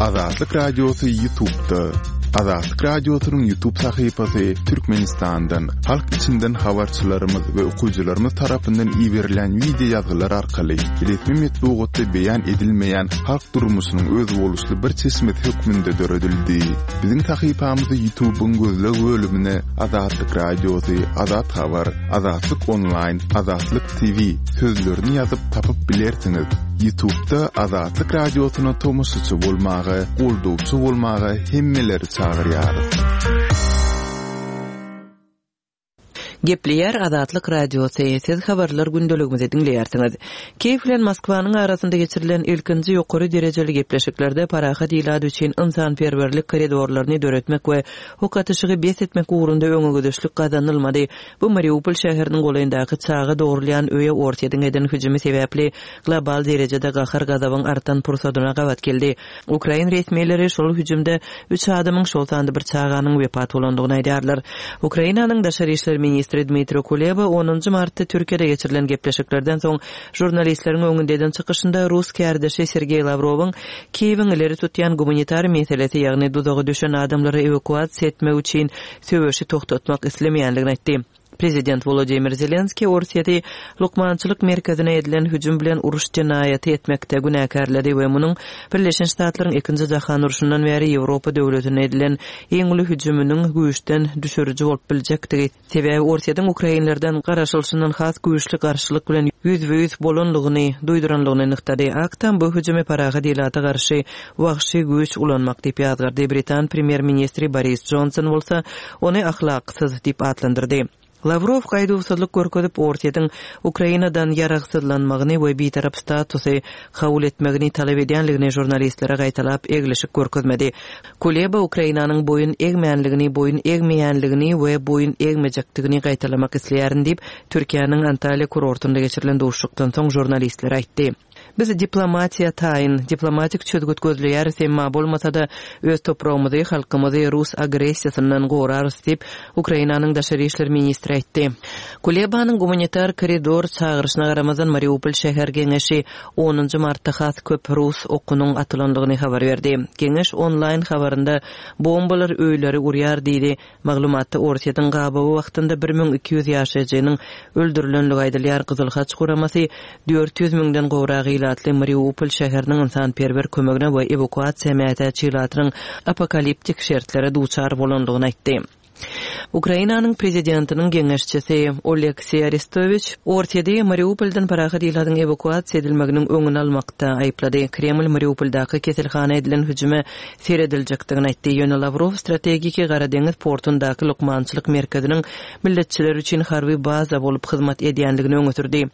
Azatlyk Radiosy Ýutubda. Azatlyk Radiosynyň Ýutub sahypasy Türkmenistandan, halk içinden habarçylarymyz we okyjylarymyz tarapyndan iberilen wideo ýazgylar arkaly resmi metbugatda beýan edilmeýän halk durmuşynyň özboluşly bir çeşmesi hökmünde döredildi. Biziň sahypamyzy Ýutubyň gözleg bölümine Azatlyk Radiosy, Azat Habar, Azatlyk Onlaýn, Azatlyk TV sözlerini ýazyp tapyp bilersiňiz. Ýutubda Azatlyk Radiosyna tomaşaçy bolmaga, goldawçy bolmaga hemmeleri çagyrýarys. Gepleýär Azatlyk Radiosy, Siz habarlar gündeligimizi diňleýärsiňiz. Kiýew bilen Moskwanyň arasynda geçirilen ilkinji ýokary derejeli gepleşiklerde parahat ilat üçin ynsanperwerlik koridorlaryny döretmek we ok atyşygy bes etmek ugrunda öňegidişlik gazanylmady. Bu Mariupol şäheriniň golaýyndaky çaga dogrulýan öýe Orsýetiň eden hüjümi sebäpli global derejede gahar-gazabyň artan pursadyna gabat geldi. Ukrain resmileri şol hüjümde üç adamyň, şol sanda bir çaganyň wepat bolandygyny aýdýarlar. Ukrainanyň daşary işler ministri Dmitro Kuleba onunjy martda Türkiýede geçirilen gepleşiklerden soň žurnalistleriň öňünde eden çykyşynda rus kärdeşi Sergeý Lawrowyň Kiýewiň ileri tutýan gumanitar meselesi, ýagny duzaga düşen adamlary ewakuasiýa etmek üçin söweşi togtatmak islemeýändigini aýtdy. Prezident Wolodymyr Zelenskiý Orsýeti lukmançylyk merkezine edilen hüjüm bilen uruş jenaýaty etmekde günäkärledi we munuň Birleşen Ştatlaryň Ikinji jahan urşundan bäri Ýewropa döwletine edilen iň uly hüjüminiň güýçden düşüriji bolup biljekdigi Sebäbi Orsýetiň ukrainlerden garaşylyşyndan has güýçli garşylyk bilen ýüzbe-ýüz bolanlygyny duýduranlygyny nygtady. Ak Tam bu hüjümi parahat ilata garşy wagşy güýç ulanmak diýip ýazgardy. Britan premýer-ministri Boris Jonson bolsa ony ahlaksyz diýip atlandyrdy. Lawrow gaýduwsyzlyk görkezip, Orsýetiň Ukrainadan ýaragsyzlanmagyny we bitarap statusy kabul etmegini talap edýänligini žurnalistlere gaýtalap eglişik görkezmedi. Kuleba Ukrainanyň boýun egmänligini, boýun egmeýänligini we boýun egmejekdigini gaýtalamak isleýärin diýip, Türkiýäniň Antalýa kurortynda geçirilen duşuşykdan soň žurnalistlere aýtdy. Biz diplomatiýa taýyn, diplomatik çözgüt gözleýäris, emma bolmasa-da, öz topragymyzy, halkymyzy rus agressiýasyndan gorarys diýip, Ukrainanyň daşary işler ministri aýtdy. Kulebanyň gumanitar koridor çagyryşyna garamazdan, Mariupol şäher geňeşi onunjy martda has köp rus okunyň atylandygyny habar berdi. Geňeş onlaýn habarynda bombalar öýleri urýar diýdi. Maglumatda Orsýetiň gabawy wagtynda 1200 ýaşaýjynyň öldürilenligi aýdylýar. Gyzyl Haç guramasy 400 müňden gowrak ilatly Mariupol şäheriniň ynsanperwer kömegine we ewakuasiýa mätäç ilatynyň apokaliptik şertlere duçar bolandygyny aýtdy. Ukrainanyň prezidentiniň geňeşçisi Oleksiý Arestowiç Orsýeti Mariupoldan parahat ilatyň ewakuasiýa edilmeginiň öňüni almakda aýyplady. Kreml Mariupoldaky keselhana edilen hüjüme serediljekdigini aýtdy. Ýöne Lawrow strategiki Gara deňiz portundaky lukmançylyk merkeziniň milletçiler üçin harby baza bolup hyzmat edýändigini öňe sürdi.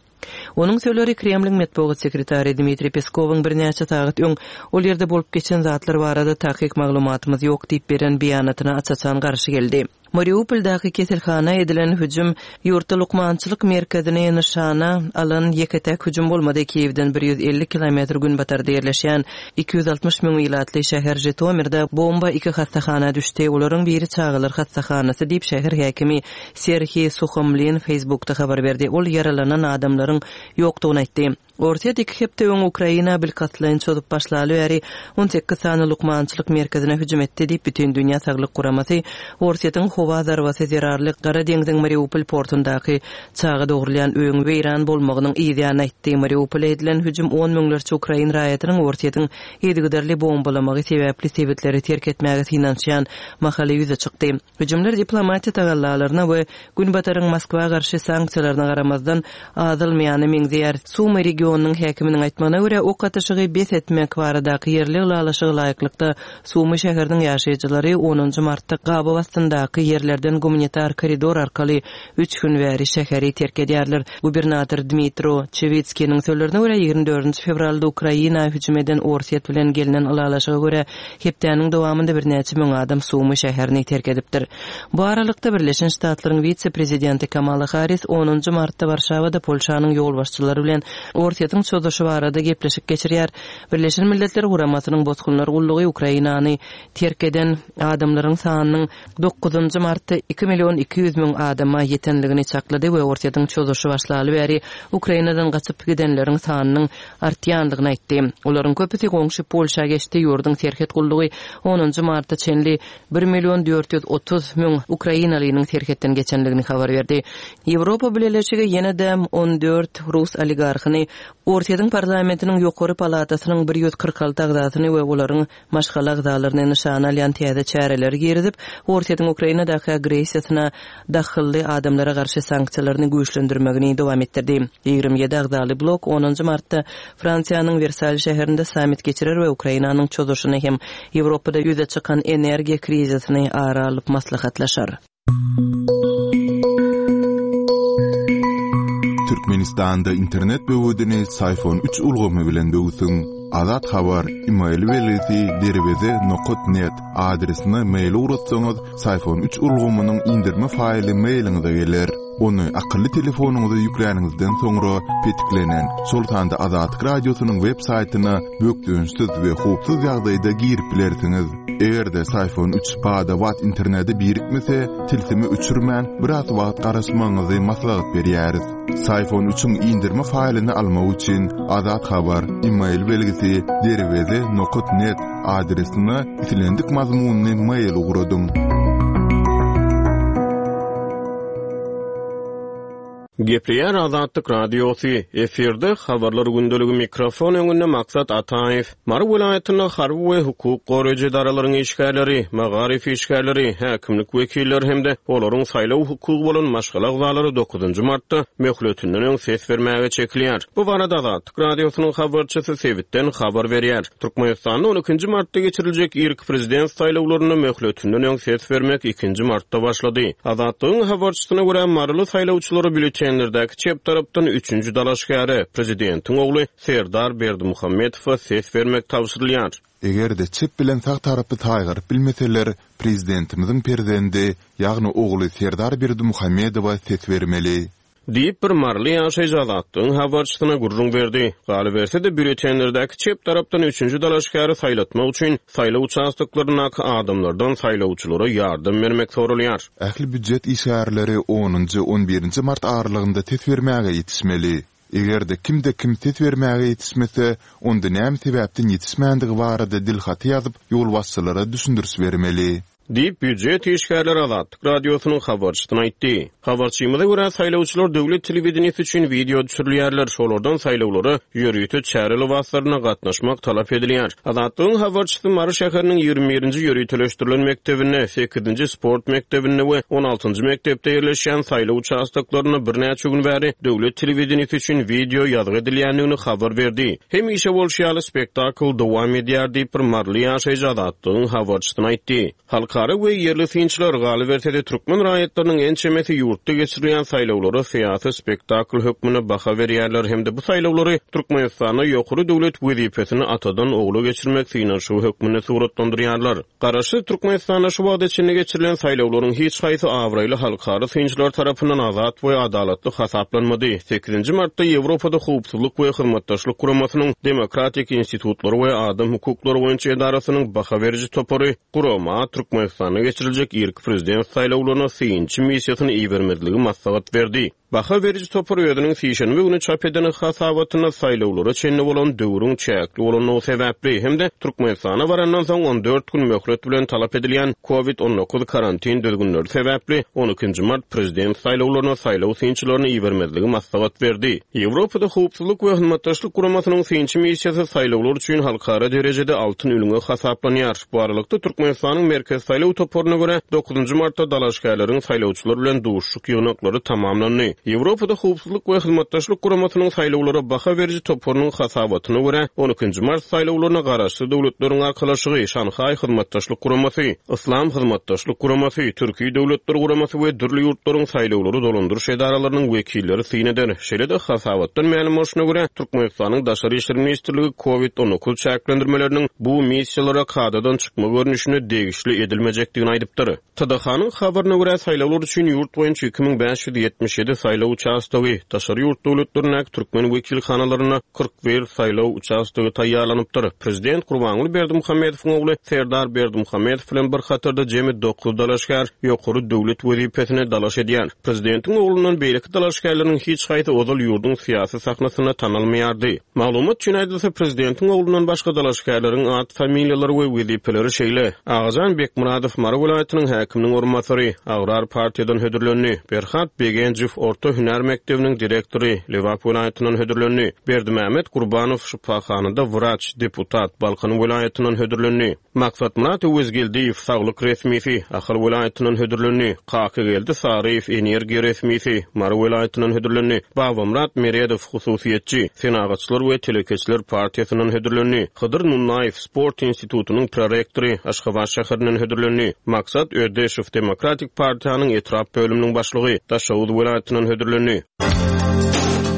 Onuň sözleri Kremliň metbugat sekretary Dmitriý Peskowyň birnäçe sagat öň ol ýerde bolup geçen zatlar barada takyk maglumatymyz ýok diýip beren beýanatyna aç-açan garşy geldi. Mariupoldaky keselhana edilen hüjüm ýurtda lukmançylyk merkezini nyşana alan ýeke-täk hüjüm bolmady. Kiýewden 150 kilometr günbatarda ýerleşýän 260 müň ilatly şäher Žitomirde bomba iki hassahana düşdi, olaryň biri çagalar hassahanasy diýip, şäher häkimi Serhiý Suhomlin Facebookda habar berdi. Ol ýaralanan adamlaryň ýokdugyny aýtdy. Orsýet iki hepde öň Ukraina bilkastlaýyn çozup başlaly bäri 18 sany lukmançylyk merkezine hüjüm etdi diýip, Bütindünýä saglyk guramasy Orsýetiň howa zarbasy zerarly Gara deňziň Mariupol portundaky çaga dogrulýan öýüň weýran bolmagynyň yzýany aýtdy. Mariupola edilen hüjüm on müňlerçe ukrain raýatynyň Orsýetiň yzygiderli bombalamagy sebäpli sebitleri terk etmäge synanyşýan mahaly ýüze çykdy. Hüjümler diplomatiýa tagallalaryna we Günbataryň Moskwa garşy sanksiýalaryna garamazdan, azalmaýana meňzeýär. Sumy regionynyň häkiminiň aýtmagyna görä, ok atyşygy bes etmek baradaky ýerli ylalaşyga laýyklykda, Sumy şäheriniň ýaşaýjylary onunjy martda gabaw astyndaky ýerlerden gumanitar koridor arkaly üç gün bäri şäheri terk edýärler. Gubernator Dmitro Çewitskiniň sözlerine görä, 24 fewralda Ukraina hüjüm eden Orsýet bilen gelnen ylalaşyga görä, Hepdäniň dowamynda birnäçe müň adam Sumy şäherini terk edipdir. Bu aralykda, Birleşen Ştatlaryň wise-prezidenti Kamala Harris onunjy martda Warşawada Polşanyň ýolbaşçylary bilen Orsýetiň. Orsýetiň çozuşy barada gepleşik geçirýär. Birleşen Milletler Guramasynyň Bosgunlar gullugy Ukrainany terk eden adamlaryň sanynyň dokuzynjy martda iki million 200 müň adama ýetendigini çaklady we Orsýetiň çozuşy başlaly bäri Ukrainadan gaçyp gidenleriň sanynyň artýandygyny aýtdy. Olaryň köpüsi goňşy Polşa geçdi, ýurduň serhet gullugy onunjy marta çenli bir million 430 müň ukrainalynyň serhetden geçendigini habar berdi. Ýewropa Bileleşigi ýene-de 14 rus oligarhyny, Orsýetiň parlamentiniň ýokary palatasynyň 146 agzasyny we olaryň maşgala agzalaryny nyşana alýan täze çäreleri girizip, Orsýetiň Ukrainadaky agressiýasyna dahylly adamlara garşy sanksiýalaryny güýçlendirmegini dowam etdirdi. 27 agzaly blok onunjy martda Fransiýanyň Wersal şäherinde sammit geçirer we Ukrainanyň çozuşyny hem Ýewropada ýüze çykan energiýa krizisini ara alyp maslahatlaşar. Türkmenistanda internet böwedini Syfon üç ulgamy bilen böwsüň. Azat Habar, email belgisi derweze nokat net adresine mail ugratsaňyz, Syfon üç ulgamynyň indirme faýly mailiňize geler. Ony akylly telefonyňyza ýükläniňizden soňra petiklenen, şol sanda Azatlyk Radiosynyň web saýtyna bökdençsiz we howpsuz ýagdaýda girip bilersiňiz. Eger-de Syfon üç bada-bat internete birikmese, tilsimi öçürmän, biraz wagt garaşmagyňyzy maslahat berýäris. Syfon üçiň indirme faýlyny almak üçin Azat Habar, email belgisi, derweze nokat net adresine islendik mazmunly mail ugradyň. Gepleýär Azatlyk Radiosy, efirde Habarlar gündeligi mikrofon öňünde Maksat Ataýew. Mary welaýatynda harby we hukuk goraýjy edaralaryň işgärleri, magaryf işgärleri, häkimlik wekilleri hem-de olaryň saýlaw hukugy bolan maşgala agzalary dokuzynjy martda möhletinden öň ses bermäge çekilýär. Bu barada Azatlyk Radiosynyň habarçysy sebitden habar berýär. Türkmenistanda on ikinji martda geçiriljek irki prezident saýlawlarynda möhletinden öň ses bermek ikinji martda başlady. Azatlygyň habarçysyna görä, maryly saýlawçylara býulletenlerdäki çep tarapdan üçünji dalaşgäre, prezidentiň ogly Serdar Berdimuhamedowa ses bermek tabşyrylýar. Eger-de çep bilen sag tarapy saýgaryp bilmeseler, prezidentimiziň perzendi, ýagny ogly Serdar Berdimuhamedowa ses bermeli. Diýip, bir maryly ýaşaýjy Azatlygyň habarçysyna gürrüň berdi. Galyberse-de, býulletenlerdäki çep tarapdan üçünji dalaşgäri saýlatmak üçin saýlaw uçastoklaryndaky adamlardan saýlawçylara ýardam bermek soralýar. Ähli býujet işgärleri onunjy, on birinji mart aralygynda ses bermäge ýetişmeli. Eger-de kimde-kim ses bermäge ýetişmese, onda näme sebäpden ýetişmändigi barada dilhaty ýazyp, ýolbaşçylara düşündiriş bermeli. Diýip, býujet işgärleri Azatlyk Radiosynyň habarçysyna aýtdy. Habarçymyza görä, saýlawçylar döwlet telewideniýesi üçin wideo düşürilýärler, şolardan saýlawlara ýörite çäre lybaslarynda gatnaşmak talap edilýär. Azatlygyň habarçysy Mary şäheriniň 21-nji ýöriteleşdirilen mekdebinde, sekizinji sport mekdebinde we on altynjy mekdepde ýerleşýän saýlaw uçastoklarynda birnäçe gün bäri döwlet telewideniýesi üçin wideo ýazgy edilýändigini habar berdi. Hemişe bolşy ýaly, spektakl dowam edýär diýip, bir maryly ýaşaýjy Azatlygyň habarçysyna aýtdy. Halkara we ýerli synçylar, galyberse-de, türkmen raýatlarynyň ençemesi ýurtda geçirilýän saýlawlara syýasy spektakl hökmünde baha berýärler hem-de bu saýlawlary Türkmenistanda ýokary döwlet wezipesini atadan ogla geçirmek synanyşygy hökmünde suratlandyrýarlar. Garaşsyz Türkmenistanda şu wagta çenli geçirilen saýlawlaryň hiç haýsy abraýly halkara synçylar tarapyndan azat we adalatly hasaplanmady. Sekizinji martda Ýewropada Howpsuzlyk we Hyzmatdaşlyk Guramasynyň Demokratik institutlary we adam hukuklary boýunça edarasynyň baha beriji topary gurama Türkmenistanda geçiriljek irki prezident saýlawlaryna synçy missiýasyny ibermezligi maslahat berdi. Baha beriji topar özüniň sişenbe güni çap eden hasabatynda saýlawlara çenli bolan döwrüň çäkli bolandygy sebäpli hem-de Türkmenistana barandan soň 14 gün möhlet bilen talap edilýän Covid 19 karantin düzgünleri sebäpli on ikinji mart prezident saýlawlaryna saýlaw synçylaryny ibermezligi maslahat berdi. Ýewropada Howpsuzlyk we Hyzmatdaşlyk Guramasynyň synçy missiýasy saýlawlar üçin halkara derejede altyn ülňe hasaplanýar. Bu aralykda, Türkmenistanyň Merkezi saýlaw toparyna görä, dokuzynjy martda dalaşgärleriň saýlawçylar bilen duşuşyk ýygnaklary tamamlandy. Ýewropada Howpsuzlyk we Hyzmatdaşlyk Guramasynyň saýlawlara baha beriji toparynyň hasabatyna görä, on ikinji mart saýlawlaryna Garaşsyz Döwletleriň Arkalaşygy, Şanhaý Hyzmatdaşlyk Guramasy, Yslam Hyzmatdaşlyk Guramasy, Türki Döwletler Guramasy we dürli ýurtlaryň saýlawlary dolandyryş edaralarynyň wekilleri syn eder. Şeýle-de, hasabatdan mälim bolşuna görä, Türkmenistanyň Daşary işler ministrligi Covid 19 çäklendirmeleriniň bu missiýalara kadadan çykma görnüşinde degişli edilmejekdigini aýdypdyr. TDH-nyň habaryna görä, saýlawlar üçin ýurt boýunça 2577 saýlaw. saýlaw uçastogy, daşary ýurt döwletlerindäki türkmen wekilhanalarynda 41 saýlaw uçastogy taýýarlanypdyr. Prezident Gurbanguly Berdimuhamedowyň ogly Serdar Berdimuhamedow bilen bir hatarda jemi dokuz dalaşgär ýokary döwlet wezipesine dalaş edýär. Prezidentiň oglundan beýleki dalaşgärleriň hiç haýsy ozal ýurduň syýasy sahnasynda tanalmaýardy. Maglumat üçin aýdylsa, prezidentiň oglundan başga dalaşgärleriň at-familiýalary we wezipeleri şeýle, Agajan Bekmyradow, Mary welaýatynyň häkiminiň orunbasary, Agrar partiýadan hödürlendi, Berhat Begenjow, orta hünär mekdebiniň direktory, Lebap welaýatyndan hödürlendi, Berdimämmet Gurbanow, şypahanada wraç, deputat, Balkan welaýatyndan hödürlendi. Maksatmyrat Öwezgeldiýew, saglyk resmisi, Ahal welaýatyndan hödürlendi. Kakageldi Saryýew, energiýa resmisi, Mary welaýatyndan hödürlendi. Babamyrat Meredow, hususyýetçi, Senagatçylar we telekeçiler partiýasyndan hödürlendi. Hydyr Nunnaýew, sport institutynyň prorektory, Aşgabat şäherinden hödürlendi. Maksat Ödeşow, Demokratik partiýanyň etrap bölüminiň başlygy, Daşoguz welaýatyndan hödürlendi.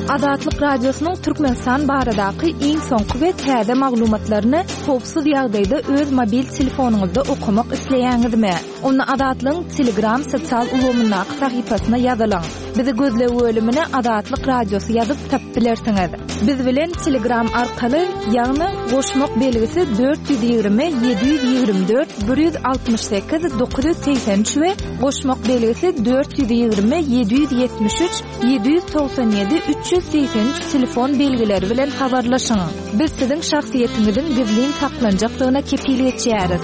Azatlyk Radiosynyň Türkmenistan baradaky iň soňky we täze maglumatlaryny howpsuz ýagdaýda öz mobil telefonyňyzda okamak isleýäňizmi? Onda Azatlygyň Telegram sosial ulgamyndaky sahypasyna ýazylyň. Bizi gözleg bölümine Azatlyk Radiosy ýazyp tapyp bilersiňiz. Biz bilen Telegram arkaly, ýagny goşmak belgisi 420 724 168 983 we goşmak belgisi 420 773 797 383 telefon belgileri bilen habarlaşyň. Biz siziň şahsyýetiňiziň gizlin saklanjakdygyna kepil geçýäris.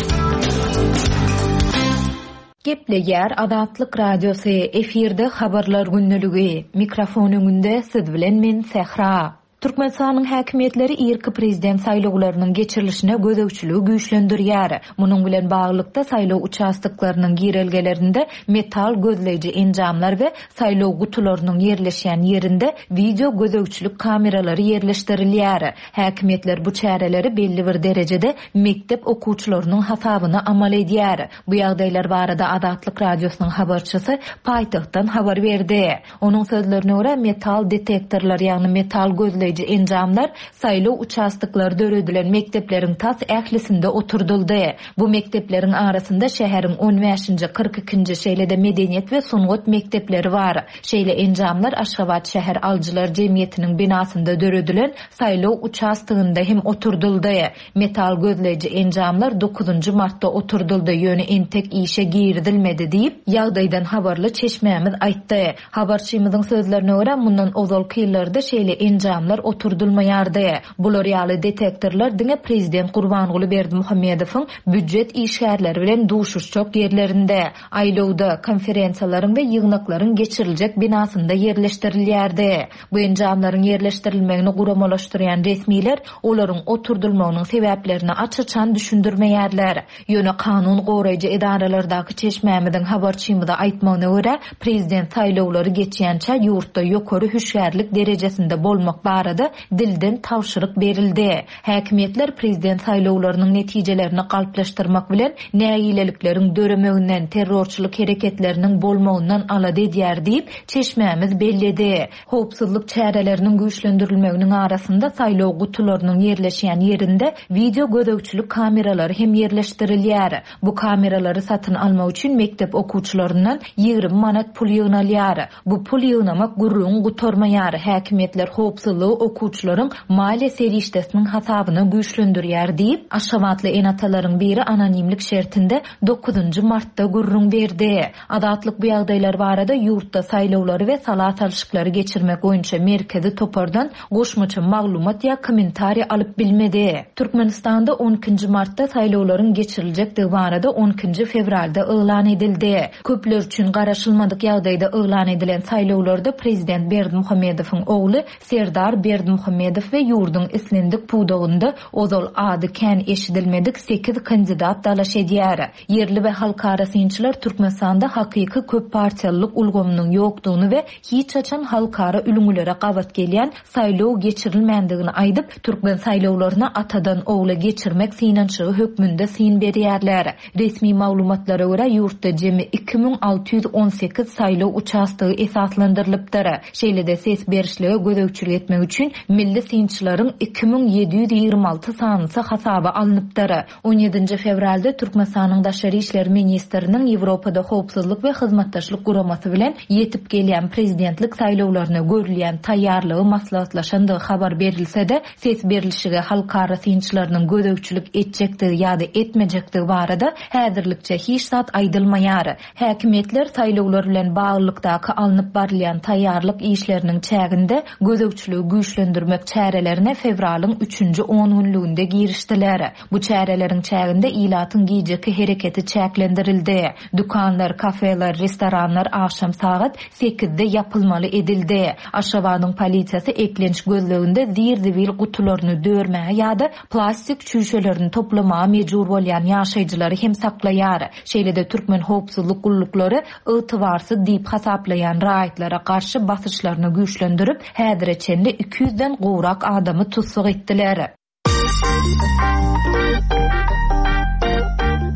Gepleýär Azatlyk Radiosy, efirde Habarlar gündeligi. Mikrofon öňünde siz bilen men Sähra. Türkmenistanyň häkimiýetleri irki prezident saýlawlarynyň geçirilişine gözegçiligi güýçlendirýär. Munuň bilen baglylykda, saýlaw uçastoklarynyň girelgelerinde metal gözleýji enjamlar we saýlaw gutularynyň ýerleşýän ýerinde wideo gözegçilik kameralary ýerleşdirilýär. Häkimiýetler bu çäreleri belli bir derejede mekdep okuwçylarynyň hasabyna amal edýär. Bu ýagdaýlar barada Azatlyk Radiosynyň habarçysy paýtagtdan habar berdi. Onuň sözlerine görä, metal detektorlar, ýagny metal gözleýji enjamlar saýlaw uçastoklary döredilen mekdepleriň tas ählisinde oturdyldy. Bu mekdepleriň arasynda şäheriň on bäşinji, 42 ikinji, şeýle-de medeniýet we sungat mekdepleri bar. Şeýle enjamlar Aşgabat şäher alyjylar jemgyýetiniň binasynda döredilen saýlaw uçastogynda hem oturdyldy. Metal gözleýji enjamlar dokuzynjy martda oturdyldy, ýöne entek işe girizilmedi diýip, ýagdaýdan habarly çeşmämiz aýtdy. Habarçymyzyň sözlerine görä, mundan ozalky ýyllarda şeýle enjamlar oturdylmaýardy. Bular ýaly detektorlar diňe prezident Gurbanguly Berdimuhamedowyň býujet işgärleri bilen duşuşjak ýerlerinde, aýlawda, konferensiýalaryň we ýygnaklaryň geçiriljek binasynda ýerleşdirilýärdi. Bu enjamlaryň ýerleşdirilmegini guramalaşdyrýan resmiler olaryň oturdylmagynyň sebäplerini aç-açan düşündirmeýärler. Ýöne kanun goraýjy edaralardaky çeşmämiziň habarçymyza aýtmagyna görä, prezident saýlawlary geçýänçä ýurtda ýokary hüşgärlik derejesinde bolmak barada dilden tabşyryk berildi. Häkimiýetler prezident saýlawlarynyň netijelerini galplaşdyrmak bilen, nägilelikleriň döremeginden, terrorçylyk hereketleriniň bolmagyndan alada edýär diýip, çeşmämiz belledi. Howpsuzlyk çäreleriniň güýçlendirilmeginiň arasynda saýlaw gutularynyň ýerleşýän ýerinde wideo gözegçilik kameralary hem ýerleşdirilýär. Bu kameralary satyn almak üçin mekdep okuwçylaryndan 20 manat pul ýygnalýar. Bu pul ýygnamak gürrüň gutarmaýar, häkimiýetler howpsuzlygy okuwçylaryň maliýe serişdesiniň hasabyna güýçlendirýär diýip, aşgabatly ene-atalaryň biri anonimlik şertinde dokuzynjy martda gürrüň berdi. Azatlyk bu ýagdaýlar barada ýurtda saýlawlary we sala salşyklary geçirmek boýunça merkezi topardan goşmaça maglumat ýa kommentariý alyp bilmedi. Türkmenistanda on ikinji martda saýlawlaryň geçiriljekdigi barada on ikinji fewralda yglan edildi. Köpler üçin garaşylmadyk ýagdaýda yglan edilen saýlawlarda prezident Berdimuhamedowyň ogly Serdar Berdimuhamedow we ýurduň islendik pudagynda ozal ady kän eşidilmedik sekiz kandidat dalaş edýär. Ýerli we halkara synçylar Türkmenistanda hakyky köppartiýalylyk ulgamynyň ýokdugyny we hiç haçan halkara ülňülere gabat gelýän saýlaw geçirilmändigini aýdyp, türkmen saýlawlaryna atadan ogla geçirmek synanyşygy hökmünde syn berýärler. Resmi maglumatlara görä, ýurtda jemi 2618 saýlaw uçastogy esaslandyrylypdyr. Şeýle-de ses berişlige gözegçilik etmek üçin. üçin milli synçylaryň 2726 sanysy hasaba alnypdyr. On ýedinji fewralda Türkmenistanyň Daşary işler ministriniň Ýewropada Howpsuzlyk we Hyzmatdaşlyk Guramasy bilen ýetip gelýän prezidentlik saýlawlaryna görülýän taýýarlygy maslahatlaşandygy habar berilse-de, ses berlişige halkara synçylarynyň gözegçilik etjekdigi ýa-da etmejekdigi barada häzirlikçe hiç zat aýdylmaýar. Häkimiýetler saýlawlar bilen baglylykdaky alnyp barylýan taýýarlyk işleriniň çäginde gözegçiligi güýçlendirmek çärelerine fewralyň üçünji ongünlüginde girişdiler. Bu çäreleriň çäginde ilatyň gijeki hereketi çäklendirildi. Dükanlar, kafeler, restoranlar agşam sagat sekizde ýapylmaly edildi. Aşgabadyň polisiýasy eklenç gözleginde zir-zibil gutularyny dörmäge ýa-da plastik çüýşelerini toplamaga mejbur bolýan ýaşaýjylary hem saklaýar. Şeýle-de türkmen howpsuzlyk gulluklary ygtybarsyz diýip hasaplaýan raýatlara garşy basyşlaryny güýçlendirip, häzire çenli iki ýüzden gowrak adamy tussag etdiler.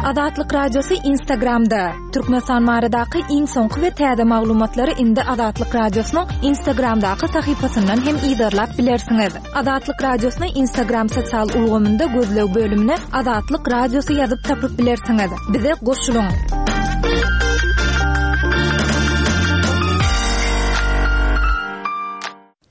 Azatlyk Radiosy Instagramda, Türkmenistan baradaky iň soňky we täze maglumatlary indi Azatlyk Radiosynyň Instagramdaky sahypasyndan hem yzarlap bilersiňiz. Azatlyk Radiosyny Instagram sosial ulgamynda gözleg bölümine Azatlyk Radiosy ýazyp tapyp bilersiňiz. Bize goşulyň!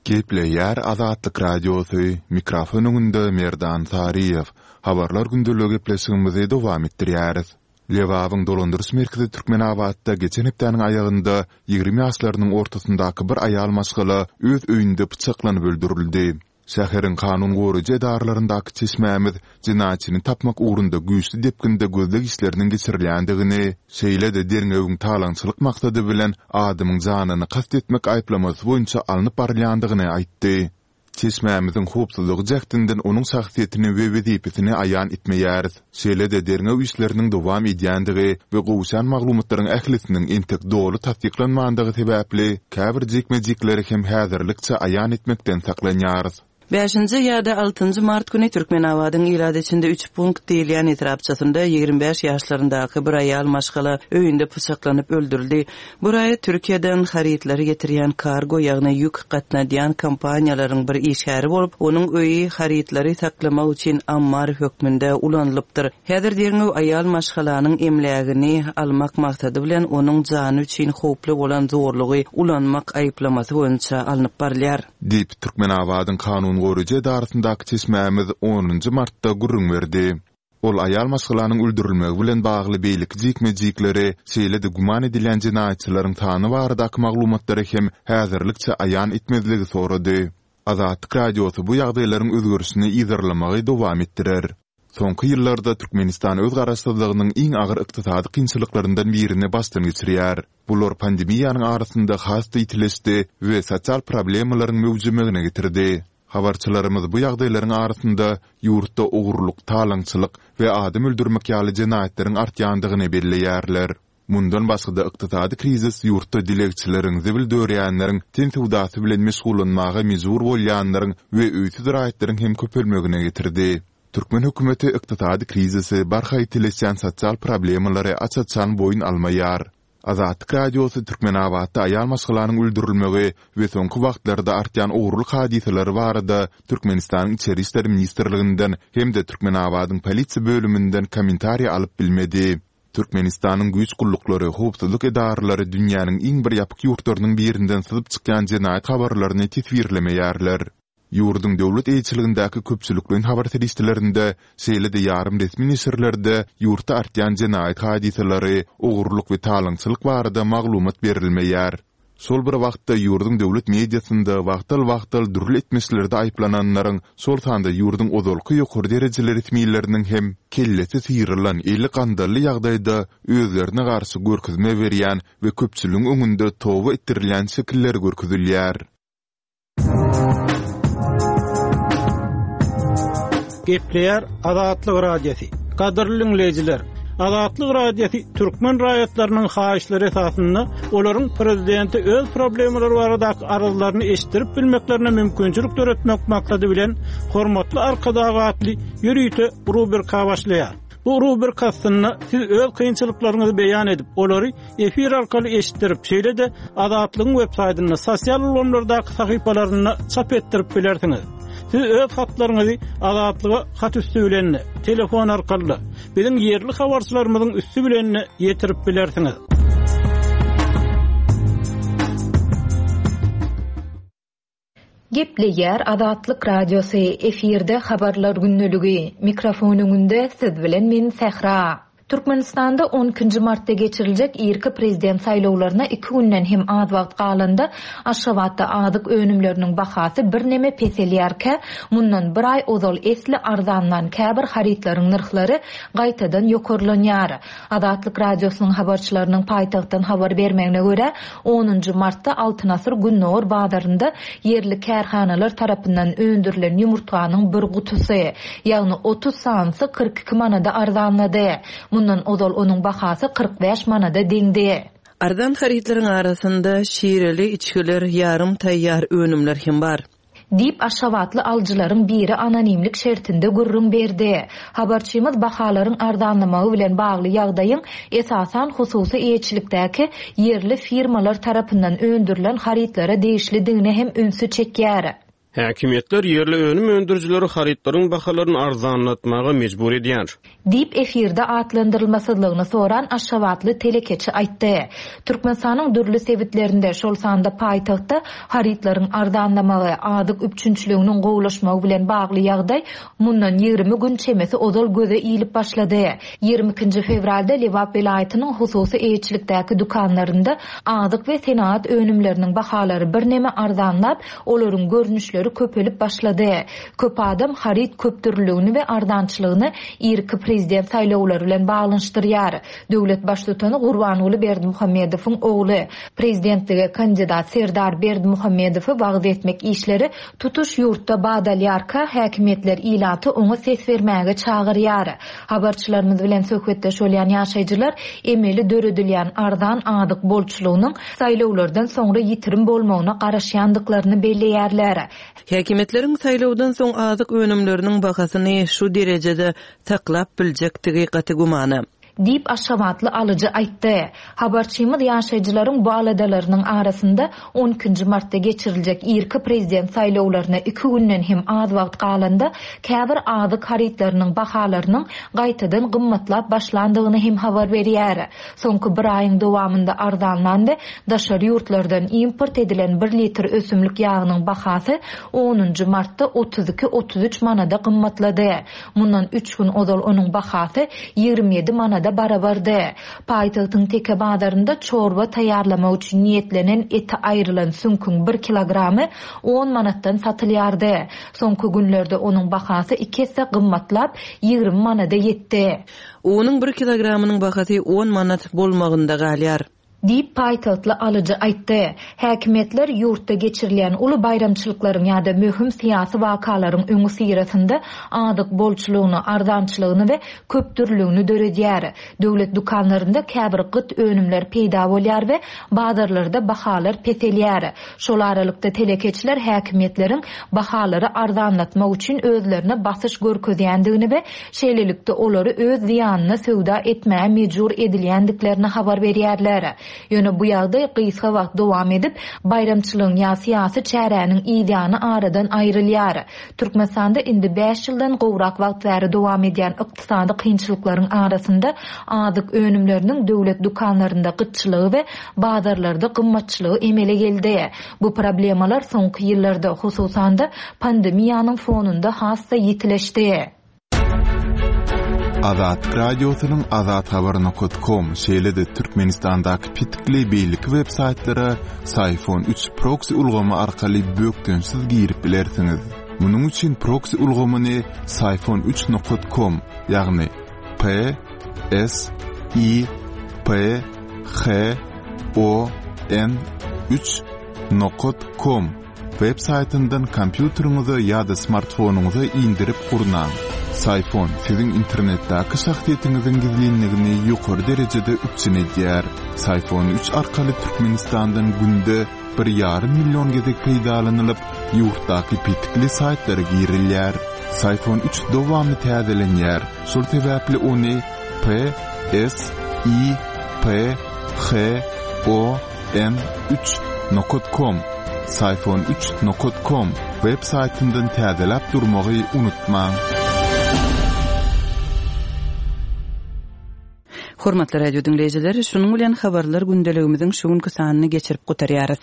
Gepleýär Azatlyk Radiosy, mikrofon öňünde Merdan Saryýew. Habarlar gündeligi gepleşigimizi dowam etdirýäris. Lebabyň dolandyryş merkezi Türkmenabatda geçen hepdäniň aýagynda 20 ýaşlarynyň ortasyndaky bir aýal maşgala öz öýünde pyçaklanyp öldürildi. Şäheriň kanun goraýjy edaralaryndaky çeşmämiz jenaýatçyny tapmak ugrunda güýçli depginde gözleg işleriniň geçirilýändigini, şeýle-de derňewiň talaňçylyk maksady bilen adamyň janyna kast etmek aýyplamasy boýunça alnyp barylýandygyny aýtdy. Çeşmämiziň howpsuzlygy jähtinden onuň şahsyýetini we wezipesini aýan etmeýäris. Şeýle-de derňew işleriniň dowam edýändigi we gowuşýan maglumatlaryň ählisiniň entek doly tassyklanmandygy sebäpli, käbir jikme-jikleri hem häzirlikçe aýan etmekden saklanýarys. Bäşinji ýa-da altynjy mart güni Türkmenabadyň ilat içinde üç punkt diýilýän etrapçasynda 25 ýaşlaryndaky bir aýal maşgala öýünde pyçaklanyp öldürildi. Bu raýat Türkiýeden harytlary getirýän kargo, ýagny ýük gatnadýan kompaniýalaryň bir işgäri bolup, onuň öýi harytlary saklamak üçin ammar hökmünde ulanylypdyr. Häzir derňew aýal maşgalanyň emlägini almak maksady bilen onuň jany üçin howply bolan zorlugy ulanmak aýyplamasy boýunça alnyp barylýar. Diýip, Türkmenabadyň kanun goraýjy edarasyndaky çeşmämiz onunjy martda gürrüň berdi. Ol aýal maşgalanyň öldürilmegi bilen bagly beýleki jikme-jikleri, şeýle-de güman edilýän jenaýatçylaryň sany baradaky maglumatlary hem häzirlikçe aýan etmezligi sorady. Azatlyk Radiosy bu ýagdaýlaryň özgerişini yzarlamagy dowam etdirer. Soňky ýyllarda Türkmenistan öz garaşsyzlygynyň iň agyr ykdysady kynçylyklaryndan birini başdan geçirýär. Bular pandemiýanyň arasynda has-da ýitileşdi we sosial problemalaryň möwjemegine getirdi. Habarçylarymyz bu ýagdaýlaryň arasynda ýurtda ogurlyk, talaňçylyk we adam öldürmek ýaly jenaýatlaryň artýandygyny belleýärler. Mundan başga-da ykdysady krizis ýurtda dilegçileriň, zibil dörýänleriň, ten söwdasy bilen meşgullanmaga mejbur bolýanlaryň we öýsüz raýatlaryň hem köpelmegine getirdi. Türkmen hökümeti ykdysady krizisi, barha ýitileşýän sosial problemalary aç-açan boýun almaýar. Azatlyk Radiosy Türkmenabatda aýal maşgalanyň öldürilmegi we soňky wagtlarda artýan ogurlyk hadysalary barada Türkmenistanyň Içeri işler ministrliginden hem-de Türkmenabadyň polisiýa bölüminden kommentariý alyp bilmedi. Türkmenistanyň güýç gulluklary, howpsuzlyk edaralary dünýäniň iň bir ýapyk ýurtlarynyň birinden syzyp çykýan jenaýat habarlaryny teswirlemeýärler. Ýurduň döwlet eýeçiligindäki köpçülikleýin habar serişdelerinde, şeýle-de ýarym resmi neşirlerde ýurtda artýan jenaýat hadysalary, ogurlyk we talaňçylyk barada maglumat berilmeýär. Şol bir wagtda, ýurduň döwlet mediasynda wagtal-wagtal dürli etmişlerde aýyplananlaryň, şol sanda ýurduň ozalky ýokary derejeli resmileriniň hem kellesi syrylan, eli gandally ýagdaýda özlerine garşy görkezme berýän we köpçüligiň öňünde toba etdirilýän şekilleri görkezilýär. Gepleýär Azatlyk Radiosy. Gadyrly diňleýjiler, Azatlyk Radiosy türkmen raýatlarynyň haýyşlary esasynda olaryň prezidente öz problemalary baradaky arzlaryny eşitdirip bilmeklerine mümkinçilik döretmek maksady bilen Hormatly Arkadag atly ýörite rubrika başlaýar. Bu rubrika astynda siz öz kynçylyklaryňyzy beýan edip, olary efir arkaly eşitdirip, şeýle-de Azatlygyň web saýtynda, sosial ulgamlardaky sahypalarynda çap etdirip bilersiňiz. Siz öz hatlaryňyzy Azatlyga hat üsti bilen-de, telefon arkaly-da, biziň ýerli habarçylarymyzyň üsti bilen-de ýetirip bilersiňiz. Gepleýär Azatlyk Radiosy, efirde Habarlar gündeligi, mikrofon öňünde siz bilen men Sähra. Türkmenistanda on ikinji martda geçiriljek irki prezident saýlawlaryna iki günden hem az wagt galanda, Aşgabatda azyk önümleriniň bahasy birneme peselýärkä, mundan bir aý ozal esli arzanlan käbir harytlaryň nyrhlary gaýtadan ýokarlanýar. Azatlyk Radiosynyň habarçylarynyň paýtagtdan habar bermegine görä, onunjy martda Altyn asyr gündogar bazarynda ýerli kärhanalar tarapyndan öndürilen ýumurtganyň bir gutusy, ýagny 30 sanysy 42 manada arzanlady. Mundan ozal onuň bahasy 45 manada deňdi. Arzan harytlaryň arasynda şireli içgiler, ýarym taýýar önümler hem bar. Diýip, aşgabatly alyjylaryň biri anonimlik şertinde gürrüň berdi. Habarçymyz bahalaryň arzanlamagy bilen bagly ýagdaýyň esasan hususy eýeçilikdäki ýerli firmalar tarapyndan öndürilen harytlara degişlidigine hem ünsi çekýär. Häkimiýetler ýerli önüm öndürijileri harytlaryň bahalaryny arzanlatmaga mejbur edýär. Diýip, efirde atlandyrylmasyzlygyny soran aşgabatly telekeçi aýtdy. Türkmenistanyň dürli sebitlerinde, şol sanda paýtagtda harytlaryň arzanlamagy, azyk üpjünçiliginiň gowulaşmagy bilen bagly ýagdaý mundan 20 gün çemesi ozal göze ilip başlady. Ýigrimi ikinji fewralda Lebap welaýatynyň hususy eýeçilikdäki dükanlarynda azyk we senagat önümleriniň bahalary birneme arzanlap, olaryň görnüşleri köpelip başlady. Köp adam haryt köpdürlüligini we arzançylygyny irki prezident saýlawlary bilen baglanyşdyrýar. Döwlet Baştutany Gurbanguly Berdimuhamedowyň ogly, prezidentlige kandidat Serdar Berdimuhamedowy wagyz etmek işleri tutuş ýurtda bat alýarka, häkimiýetler ilaty oňa ses bermäge çagyrýar. Habarçylarymyz bilen söhbetdeş bolýan ýaşaýjylar emeli döredilýän arzan azyk bolçulygynyň saýlawlardan soňra ýitirim bolmagyna garaşýandyklaryny belleýärler. Häkimiýetleriň saýlawdan soň azyk önümleriniň bahasyny şu derejede saklap biljekdigi gaty gümana. Diýip, aşgabatly alyjy aýtdy. Habarçymyz ýaşaýjylaryň bu aladalarynyň arasynda on ikinji martda geçiriljek irki prezident saýlawlaryna iki günden hem az wagt galanda käbir azyk harytlarynyň bahalarynyň gaýtadan gymmatlap başlandygyny hem habar berýär. Soňky bir aýyň dowamynda arzanlan we daşary ýurtlardan import edilen bir litr ösümlik ýagynyň bahasy onunjy martda 32, 33 manada gymmatlady. Mundan üç gün ozal onuň bahasy 27 manada barabardy. Paýtagtyň Teke bazarynda çorba taýýarlamak üçin niýetlenen eti aýrylan süňküň bir kilogramy on manatdan satylýardy. Soňky günlerde onuň bahasy iki esse gymmatlap, 20 manada ýetdi. Unuň bir kilogramynyň bahasy on manat bolmagynda galýar. Diýip, paýtagtly alyjy aýtdy. Häkimiýetler ýurtda geçirilýän uly baýramçylyklaryň ýa-da möhüm syýasy wakalaryň öňüsyrasynda azyk bolçulygyny, arzançylygyny we köpdürlüligini döredýär. Döwlet dükanlarynda käbir gyt önümler peýda bolýar we bazarlarda bahalar peselýär. Şol aralykda, telekeçiler häkimiýetleriň bahalary arzanlatmak üçin özlerine basyş görkezýändigini we şeýlelikde olary öz zyýanyna söwda etmäge mejbur edilýändiklerini habar berýärler. Ýöne bu ýagdaý gysga wagt dowam edip, baýramçylygyň ýa syýasy çäräniň yzýany aradan aýrylýar. Türkmenistanda indi bäş ýyldan gowrak wagt bäri dowam edýän ykdysady kynçylyklaryň arasynda azyk önümleriniň döwlet dükanlarynda gytçylygy we bazarlarda gymmatçylygy emele geldi. Bu problemalar soňky ýyllarda, hususan-da, pandemiýanyň fonunda has-da ýitileşdi. Azatlyk Radiosynyň Azathabar nokat kom, şeýle-de Türkmenistandaky petikli beýleki web saýtlara Syfon üç proksi ulgamy arkaly bökdençsiz girip bilersiňiz. Munuň üçin proksi ulgamyny Syfon üç nokat kom, ýagny P S I P H O N üç nokat kom Web saýtyndan kompýuteriňize ýa-da smartfonyňyza indirip gurnaň. Syfon siziň internetdäki şahsyýetiňiziň gizlinligini ýokary derejede üpjün edýär. Syfon üç arkaly Türkmenistandan günde bir ýarym million gezek peýdalanylyp, ýurtdaky petikli saýtlara girilýär. Syphon 3 dowamly täzelenýär, şol sebäpli ony P S I P H O N 3 nokat kom, Syphon 3 nokat kom, web saýtyndan täzeläp durmagy unutmaň. Hormatly radio diňleýjiler, şunuň bilen habarlar gündeligimiziň şu günki sanyny geçirip gutarýarys.